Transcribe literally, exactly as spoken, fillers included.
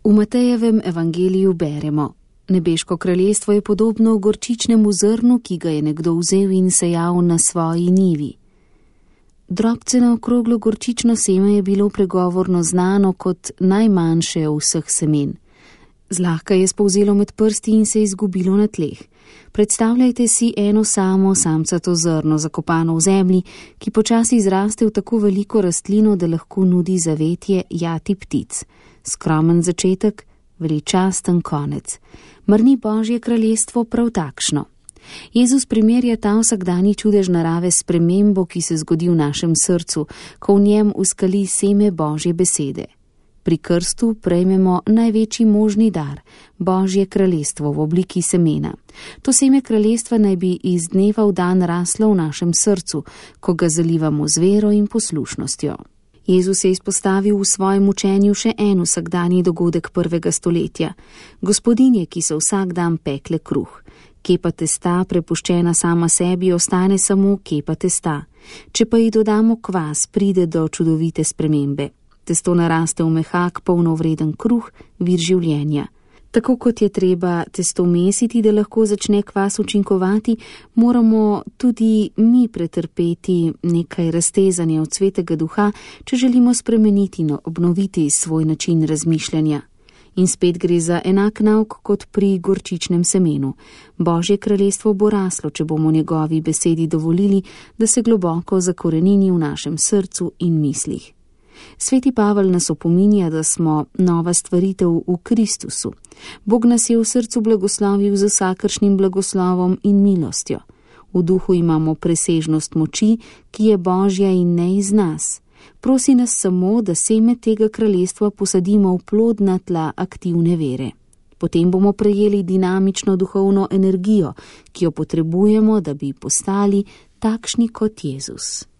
V Matejevem evangeliju beremo: Nebeško kraljestvo je podobno gorčičnemu zrnu, ki ga je nekdo vzel in sejal na svoji njivi. Drobceno okroglo gorčično seme je bilo pregovorno znano kot najmanjše vseh semen. Zlahka je spolzelo med prsti in se izgubilo na tleh. Predstavljajte si eno samo samcato zrno zakopano v zemlji, ki počasi zraste v tako veliko rastlino, da lahko nudi zavetje jati ptic. Skromen začetek, veličasten konec. Mar ni Božje kraljestvo prav takšno? Jezus primerja ta vsakdanji čudež narave s spremembo, ki se zgodi v našem srcu, ko v njem uskali seme Božje besede. Pri krstu prejmemo največji možni dar, Božje kraljestvo v obliki semena. To seme kraljestva naj bi iz dneva v dan raslo v našem srcu, ko ga zalivamo z vero in poslušnostjo. Jezus je izpostavil v svojem učenju še en vsakdanji dogodek prvega stoletja. Gospodinje, ki so vsak dan pekle kruh. Kepa testa, prepuščena sama sebi, ostane samo kepa testa. Če pa ji dodamo kvas, pride do čudovite spremembe. Testo naraste v mehak, polnovreden kruh, vir življenja. Tako kot je treba testo mesiti, da lahko začne kvas učinkovati, moramo tudi mi pretrpeti nekaj raztezanja od svetega duha, če želimo spremeniti in obnoviti svoj način razmišljanja. In spet gre za enak nauk kot pri gorčičnem semenu. Božje kraljestvo bo raslo, če bomo njegovi besedi dovolili, da se globoko zakorenini v našem srcu in mislih. Sveti Pavel nas opominja, da smo nova stvaritev v Kristusu. Bog nas je v srcu blagoslovil z vsakršnim blagoslovom in milostjo. V duhu imamo presežnost moči, ki je Božja in ne iz nas. Prosi nas samo, da seme tega kraljestva posadimo v plodna tla aktivne vere. Potem bomo prejeli dinamično duhovno energijo, ki jo potrebujemo, da bi postali takšni kot Jezus.